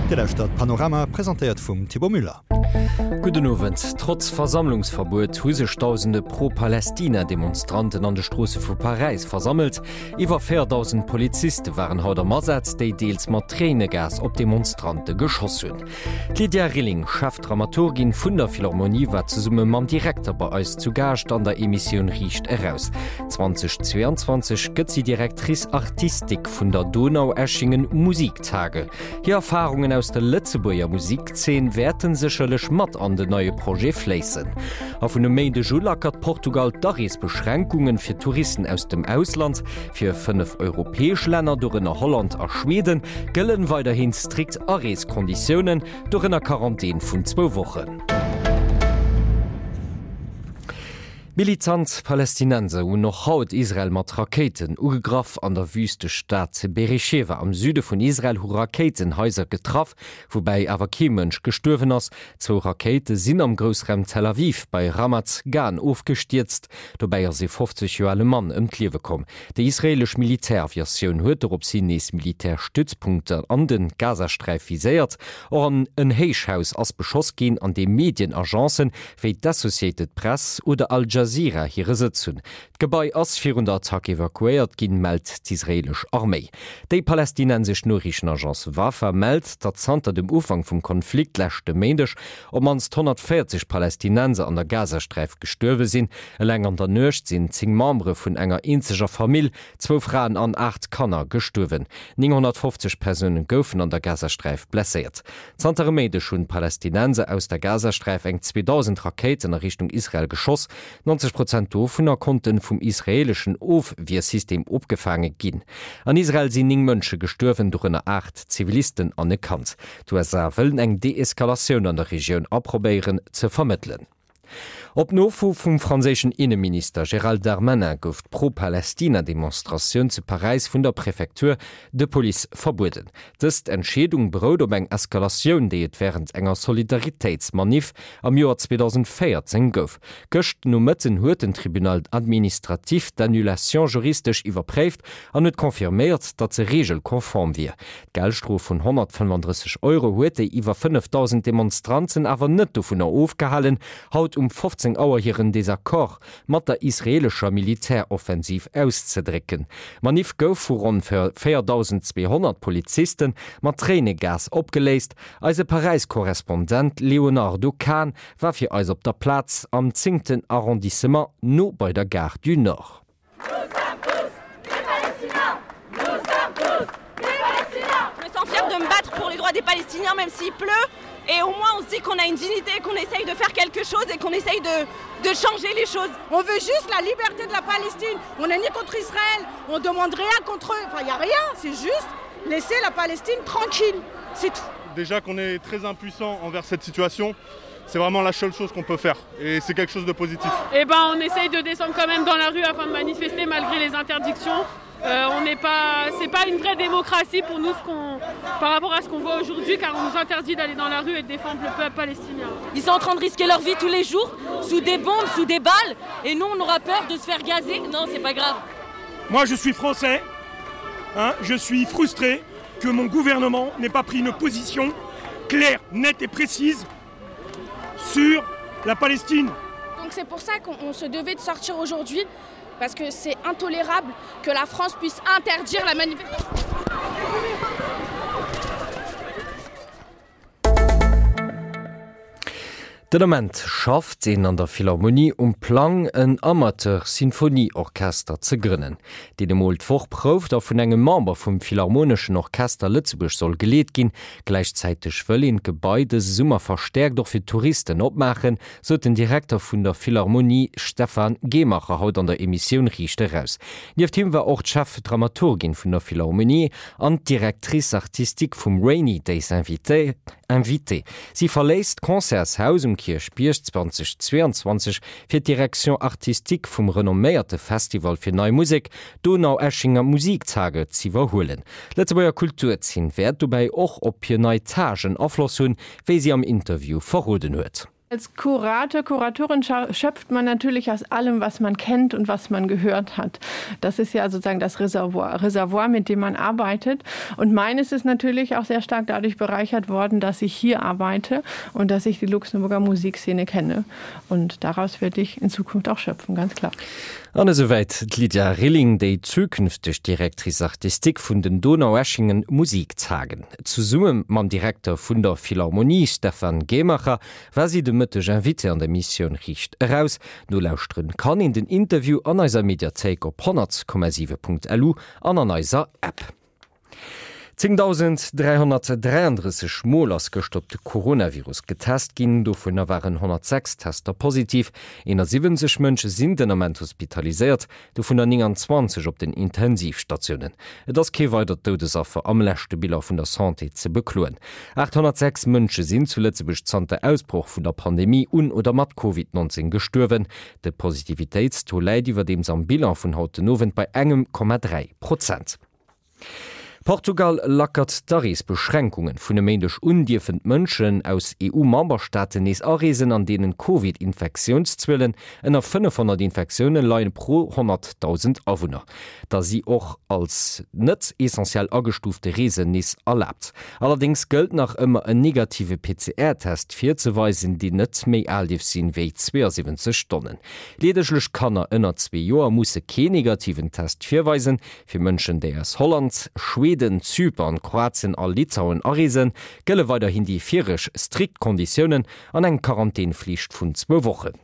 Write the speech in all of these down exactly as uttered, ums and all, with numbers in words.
Dir lauschtert Panorama, presentéiert vum Thibaut Müller. Gudden Owend. Trotz Versammlungsverbuet hu sech dausende Pro-Palästina-Demonstranten an de Stroosse vu Paräis versammelt. Iwwer véierdausend Poliziste waren haut am Asaz, déi deels mat Tréinegas op d'Demonstrante geschoss hunn. D'Lydia Rilling, Chefdramaturgin vun der Philharmonie, war zesumme mam Direkter bei eis zu Gaascht an der Emissioun Riicht Eraus. zweitausendzweiundzwanzeg gëtt si Directrice artistique vun der Donaueschingen Musiktage. Hir Erfarungen aus der Lëtzebuerger Musikzeen wäerten sécherlech mat an den neie Projet fléissen. A vun e Méindeg u lackert Portugal d'Areesbeschränkunge fir Touristen aus dem Ausland. Fir fënnef europäesch Länner, dorënner Holland a Schweden, gëllen weiderhin strikt Areeskonditiounen, dorënner Quarantän vun zwou Wochen. Militant Palästinenser hunn och haut Israel mat Rakéiten ugegraff. An der Wüstestad Beersheva am Süde vun Israel hu Rakéiten Haiser getraff, woubäi awer kee Mënsch gestuerwen ass. Zwou Rakéite sinn am Groussraum Tel Aviv bei Ramat Gan ofgestierzt. Dobäi ass ee fofzeg Joer ale Mann ëm d'Liewe komm. Déi israeelesch Militäraviatioun huet dorops hin nees Militärstützpunkter an de Gazasträif viséiert. Och an en Héichhaus ass beschoss ginn, an deem Medienagencen wéi d'Associated Press oder Al Jazeera hire Sëtz hunn. D'Gebai ass virun der Attack evakuéiert ginn, mellt d'israeelesch Arméi. Déi palästinensesch Noriichtenagence Wafa mellt, datt zanter dem Ufank vum Konflikt leschte Méindeg op d'mannst honnertvéierzeg Palästinenser an der Gazasträif gestuerwe sinn. Eleng an der Nuecht sinn zéng Membere vun enger eenzeger Famill, zwou Fraen an aacht Kanner, gestuerwen. Nénghonnertfofzeg Persoune goufen an der Gazasträif blesséiert. Zanter e Méindeg hunn d'Palästinenser aus der Gazasträif eng zweedausend Rakéiten a Richtung Israel geschoss. neunzeg Prozent dovunner konnte vum israeeleschen Ofwiersystem opgefaange ginn. An Israel sinn néng Mënsche gestuerwen, dorënner aacht Zivilisten an e Kand. D'U S A wëllen eng Deeskalatioun an der Regioun a probéieren ze vermëttelen. Op Nofro vum franséischen Inneminister Gérald Darmanin gouf d'Pro-Palästina-Demonstratioun zu Paräis vun der Préfecture de Police verbueden. Dës Entscheedung berout op eng Eskalatioun, déi et wärend enger Solidaritéitsmanif am Joer zweedausendvéierzéng gouf. Gëscht Nomëtten huet den Tribunal administratif d'Annulation juristesch iwwerpréift an huet confirméiert, datt se reegelkonform wier. D'Geldstrof vun honnertfënnefandrësseg Euro huet déi iwwer fënnefdausend Demonstranten awer net dovunner ofgehalen, haut um fofzéng Auer hiren Desaccord mat der israeelescher Militäroffensiv auszedrécken. D'Manif gouf vu ronn véierdausendzweehonnert Poliziste mat Tréinegas opgeléist. Eise Paräis-Korrespondent Léonardo Kahn war fir eis op der Plaz am zéngten Arrondissement, no bei der Gare du Nord. Je me sens fière de me battre pour les droits des Palestiniens, même s'il pleut. Et au moins, on se dit qu'on a une dignité, qu'on essaye de faire quelque chose et qu'on essaye de, de changer les choses. On veut juste la liberté de la Palestine. On n'est ni contre Israël, on demande rien contre eux. Enfin, il n'y a rien, c'est juste laisser la Palestine tranquille. C'est tout. Déjà qu'on est très impuissant envers cette situation, c'est vraiment la seule chose qu'on peut faire. Et c'est quelque chose de positif. Eh ben, on essaye de descendre quand même dans la rue afin de manifester malgré les interdictions. Euh, on n'est pas, c'est pas une vraie démocratie pour nous ce qu'on, par rapport à ce qu'on voit aujourd'hui, car on nous interdit d'aller dans la rue et de défendre le peuple palestinien. Ils sont en train de risquer leur vie tous les jours, sous des bombes, sous des balles, et nous on aura peur de se faire gazer. Non, c'est pas grave. Moi je suis français, hein, je suis frustré que mon gouvernement n'ait pas pris une position claire, nette et précise sur la Palestine. Donc c'est pour ça qu'on se devait de sortir aujourd'hui, parce que c'est intolérable que la France puisse interdire la manifestation. Den Ament schafft een an der Philharmonie um Plang, en Amateur-Sinfonieorchester ze grënnen, deen emol d'Woch prouft a vun engem Member vum Philharmoneschen Orchester Lëtzebuerg soll geleet ginn. Gläichzäiteg wëll een d'Gebai dëse Summer verstäerkt och fir Touristen opmaachen, sot den Direkter vun der Philharmonie Stefan Gehmacher haut an der Emissioun Riicht Eraus. Nieft him war och d'Chefdramaturgin vun der Philharmonie an d'Directrice artistique vum Rainy Days Invitée. Si verléisst d'Concertshaus um Kierchbierg zweitausendzweiundzwanzeg fir d'Direction artistique vum renomméierte Festival fir Nei Musek, Donaueschinger Musiktage, z'iwwerhuelen. D'Lëtzebuerger Kulturzeen wäert dobäi och op hir nei Tagen Afloss hunn, wéi si am Interview verroden huet. Als Kurator, Kuratorin schöpft man natürlich aus allem, was man kennt und was man gehört hat. Das ist ja sozusagen das Reservoir, Reservoir, mit dem man arbeitet. Und meines ist natürlich auch sehr stark dadurch bereichert worden, dass ich hier arbeite und dass ich die Luxemburger Musikszene kenne. Und daraus werde ich in Zukunft auch schöpfen, ganz klar. An esouwäit d'Lydia Rilling, déi zukünfteg Directrice artistique vun den Donaueschingen Musiktagen. Zesumme mam Direkter vun der Philharmonie Stephan Gehmacher war si de Mëtteg Invitée an der Emissioun Riicht Eraus. Nolauschteren kann een den Interview an eiser Mediathéik op honnert Komma siwe Punkt lu an an eiser App. zéngdausend dräihonnertdräiandrësseg Mol ass gëscht op de Coronavirus getest ginn, dovunner waren honnertsechs Tester positiv. eenasiwwenzeg Mënsche sinn den Ament hospitaliséiert, dovunner nénganzwanzeg op den Intensivstatiounen. Et ass kee weidert Doudesaffer am leschte Bilan vun der Santé ze bekloen. aathonnertsechs Mënsche sinn zu Lëtzebuerg zanter Ausbroch vun der Pandemie un oder mat Covid neunzehn gestuerwen. De Positivitéitstaux läit iwwerdeems am Bilan vun haut den Owend bei engem Komma dräi Prozent. Portugal lackert d'Areesbeschränkungen. Vun e Méindeg un dierfen d'Mënschen aus E U-Memberstaaten nees areesen, an deenen Covid-Infektiounszuelen ënner fënnefhonnert Infektioune leien pro honnertdausend Awunner. Da si och als net essentiell agestuufte Reesen nees erlaabt. Allerdéngs gëllt nach ëmmer en negative P C R-Test virzeweisen, deen net méi al dierf sinn wéi zweeësiwwenzeg Stonnen. Leedeglech Kanner ënner zwee Joer musse keen negativen Test virweisen. Fir Mënschen, déi aus Holland, Schweden, Zypern, Kroatien a Litauen areesen, gëlle weiderhin déi vireg strikt Konditiounen an eng Quarantäneflicht vun zwou Wochen.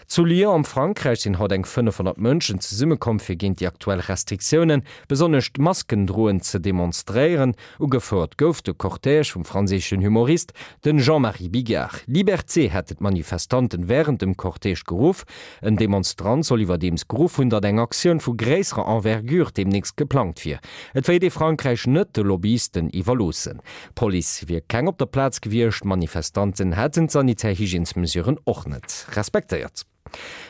Zu Lyon am Frankräich sinn haut eng fënnefhonnert Mënschen zesummekomm fir géint déi aktuell Restriktiounen, besonnesch d'Maskendroen, ze demonstréieren. Ugefouert gouf de Cortège vum franséischen Humorist, den Jean-Marie Bigard. Liberté hätte d'Manifestanten wärend dem Cortège geruff. En Demonstrant soll iwwerdeems geruff hunn, datt eng Aktioun vu gréisserer Envergure deemnächst geplangt wier. Et wéilt ee Frankräich net de Lobbyisten iwwerloossen. D'Police wier keng op der Plaz gewiescht, d'Manifestanten hätten d'sanitär Hygiènesmesuren och net respektéiert.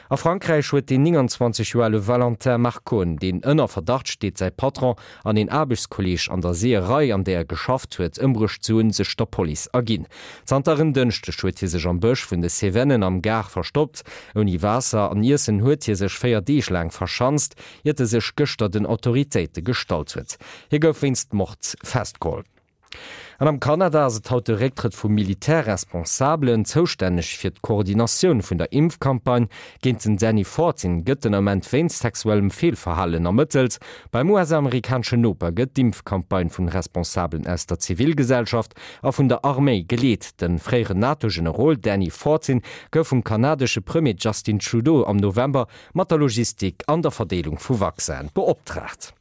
A Frankräich huet den nénganzwanzeg Joer ale Valentin Marcon, deen ënner Verdacht steet, säi Patron an een Aarbechtskolleeg an der Seeërei, an där e geschafft huet, ëmbruecht ze hunn, sech der Police erginn. Zanter en Dënschdeg huet hie sech am Bësch vun de Cevennen am Gard verstoppt. Ouni Waasser an Iessen huet hie sech véier Deeg laang verschanzt, iert e sech gëschter den Autoritéite gestallt huet. Hie gouf wéinst Mord festgeholl. An am Kanada ass et haut de Récktrëtt vu Militärresponsabelen, zoustänneg fir d'Koordinatioun vun der Impfcampagne géint den Danny Fortin gëtt den Ament wéinst sexuellem Feelverhalen ermëttelt. Beim U S-amerikaneschen Noper gëtt d'Impfcampagne vun Responsabelen aus der Zivilgesellschaft a vun der Arméi geleet. Den fréieren NATO-Generol Danny Fortin gouf vum kanadesche Premier Justin Trudeau am November mat der Logistik an der Verdeelung vu Vaccinen beoptraagt.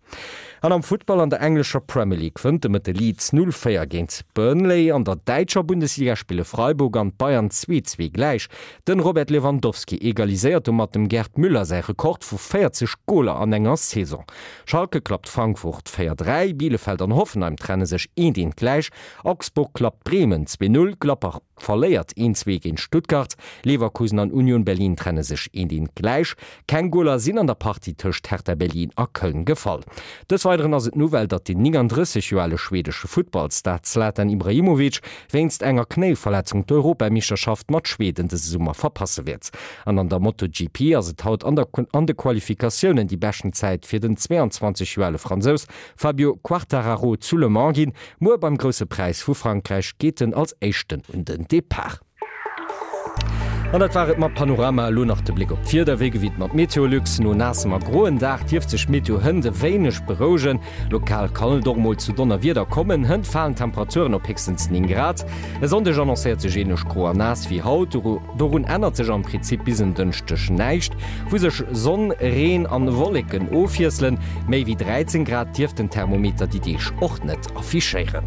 An am Futtball an der englescher Premier League wënnt de Mëtte Leeds null véier géint Burnley. An der däitscher Bundesliga spille Freiburg an Bayern zwee zwee gläich. Den Robert Lewandowski egaliséiert domat dem Gerd Müller säi Rekord vu véierzeg Goler an enger Saison. Schalke klappt Frankfurt véier dräi, Bielefeld an Hoffenheim trenne sech eent eent gläich, Augsburg klappt Bremen zwee null, Gladbach verléiert eent zwee géint Stuttgart, Leverkusen an Union Berlin trenne sech eent eent gläich. Keng Goler sinn an der Partie tëscht Hertha Berlin a Köln gefall. Des Weideren ass et d'Nouvelle, datt den nénganddrësseg Joer ale schwedesche Futtballstar Zlatan Ibrahimovic wéinst enger Knéiverletzung d'Europameeschterschaft mat Schweden dëse Summer verpasse wäert. An an der MotoGP ass et haut an der Kon-, an de Qualifikatiounen déi beschten Zäit fir den zweiundzwanzeg Joer ale Fransous Fabio Quartararo zu Le Mans ginn. Muer beim Grousse Präis vu Frankräich geet en als éischten un den Depart. An dat war et mat Panorama, elo nach de Bléck op d'Wieder, wéi gewinnt mat Meteolux. No naassem a groen Dag dierft sech d'Meteo hënt e wéineg berouegen. Lokal kann et och mol zu Donnerwieder kommen. Hënt falen d'Temperaturen op héchstens néng Grad. E Sonndeg annoncéiert sech ähnlech gro a naass wéi haut. Doru-, dorun ännert sech am Prinzip bis en Dënschdeg näischt, wou sech Sonn, Reen an Wolleken ofwiesselen. Méi wéi dräizéng Grad dierft den Thermometer déi Deeg och net affichéieren.